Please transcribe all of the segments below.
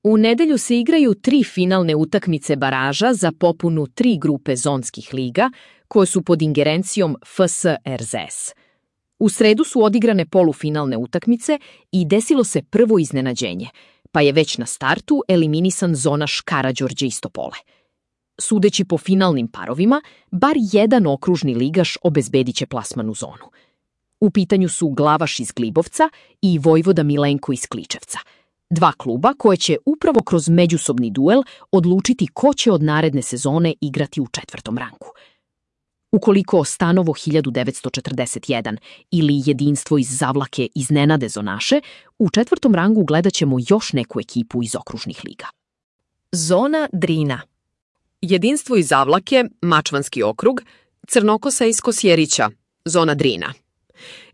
U nedelju se igraju 3 finalne utakmice baraža za popunu 3 grupe zonskih liga, koje su pod ingerencijom FS RZS. U sredu su odigrane polufinalne utakmice i desilo se prvo iznenađenje, pa je već na startu eliminisan zonaš Karađorđe iz Topole. Sudeći po finalnim parovima, bar jedan okružni ligaš obezbedit će plasman u zonu. U pitanju su Glavaš iz Glibovca i Vojvoda Milenko iz Kličevca. 2 kluba koje će upravo kroz međusobni duel odlučiti ko će od naredne sezone igrati u 4. rangu. Ukoliko Stanovo 1941 ili Jedinstvo iz Zavlake iznenade zonaše, u 4. rangu gledat ćemo još neku ekipu iz okružnih liga. Zona Drina. Jedinstvo iz Zavlake, Mačvanski okrug, Crnokosa iz Kosjerića, zona Drina.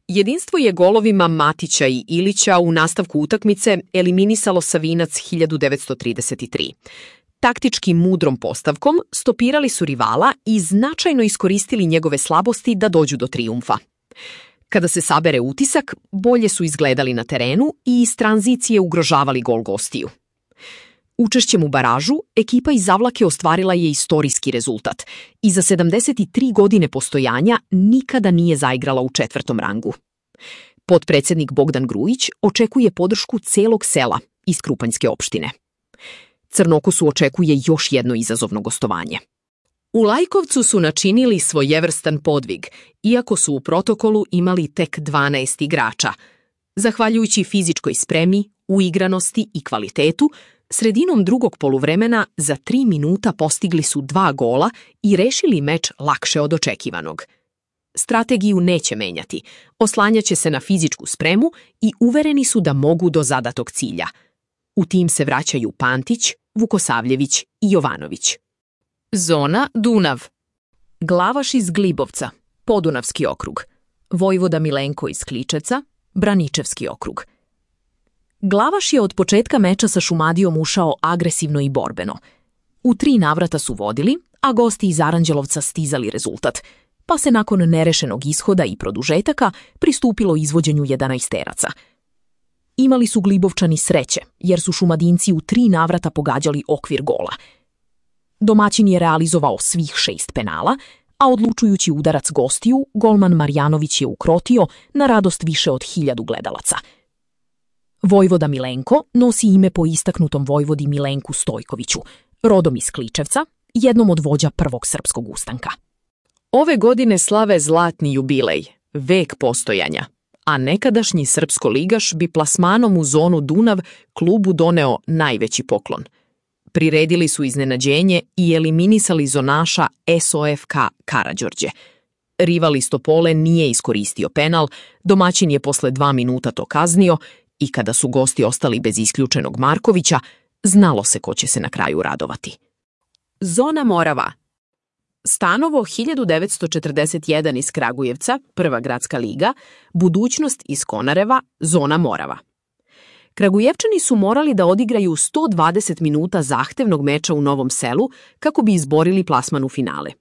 Jedinstvo je golovima Matića i Ilića u nastavku utakmice eliminisalo Savinac 1933. Taktički mudrom postavkom stopirali su rivala i značajno iskoristili njegove slabosti da dođu do trijumfa. Kada se sabere utisak, bolje su izgledali na terenu i iz tranzicije ugrožavali gol gostiju. Učešćem u baražu, ekipa iz Zavlake ostvarila je istorijski rezultat i za 73 godine postojanja nikada nije zaigrala u 4. rangu. Potpredsednik Bogdan Grujić očekuje podršku celog sela iz Krupanjske opštine. Crnokosu očekuje još jedno izazovno gostovanje. U Lajkovcu su načinili svojevrstan podvig, iako su u protokolu imali tek 12 igrača. Zahvaljujući fizičkoj spremi, uigranosti i kvalitetu, sredinom drugog poluvremena za 3 minuta postigli su 2 gola i rešili meč lakše od očekivanog. Strategiju neće menjati, oslanjaće se na fizičku spremu i uvereni su da mogu do zadatog cilja. U tim se vraćaju Pantić, Vukosavljević i Jovanović. Zona Dunav. Glavaš iz Glibovca, Podunavski okrug. Vojvoda Milenko iz Kličevca, Braničevski okrug. Glavaš je od početka meča sa Šumadijom ušao agresivno i borbeno. U 3 navrata su vodili, a gosti iz Aranđelovca stizali rezultat, pa se nakon nerešenog ishoda i produžetaka pristupilo izvođenju 11-teraca. Imali su Glibovčani sreće, jer su Šumadinci u 3 navrata pogađali okvir gola. Domaćin je realizovao svih 6 penala, a odlučujući udarac gostiju, golman Marjanović je ukrotio na radost više od 1000 gledalaca. Vojvoda Milenko nosi ime po istaknutom vojvodi Milenku Stojkoviću, rodom iz Kličevca, jednom od vođa prvog srpskog ustanka. Ove godine slave zlatni jubilej, vek postojanja, a nekadašnji srpsko-ligaš bi plasmanom u zonu Dunav klubu doneo najveći poklon. Priredili su iznenađenje i eliminisali zonaša SOFK Karađorđe. Rival iz Topole nije iskoristio penal, domaćin je posle 2 minuta to kaznio i kada su gosti ostali bez isključenog Markovića, znalo se ko će se na kraju radovati. Zona Morava. Stanovo 1941 iz Kragujevca, prva gradska liga, Budućnost iz Konareva, zona Morava. Kragujevčani su morali da odigraju 120 minuta zahtevnog meča u Novom Selu kako bi izborili plasman u finale.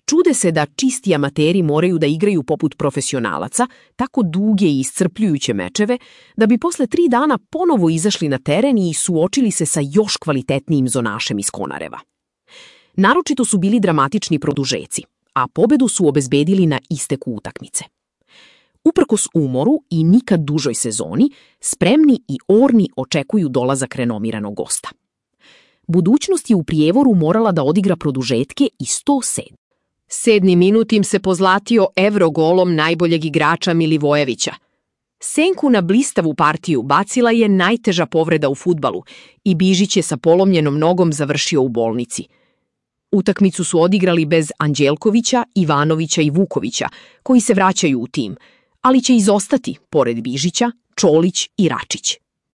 Čude se da čisti amateri moraju da igraju poput profesionalaca, tako duge i iscrpljujuće mečeve, da bi posle 3 dana ponovo izašli na teren i suočili se sa još kvalitetnijim zonašem iz Konareva. Naročito su bili dramatični produžeci, a pobedu su obezbedili na isteku utakmice. Uprkos umoru i nikad dužoj sezoni, spremni i orni očekuju dolazak renomiranog gosta. Budućnost je u Prijevoru morala da odigra produžetke i 107. 7. minut im se pozlatio evrogolom najboljeg igrača Milivojevića. Senku na blistavu partiju bacila je najteža povreda u fudbalu i Bižić je sa polomljenom nogom završio u bolnici. Utakmicu su odigrali bez Anđelkovića, Ivanovića i Vukovića, koji se vraćaju u tim, ali će izostati, pored Bižića, Čolić i Račić.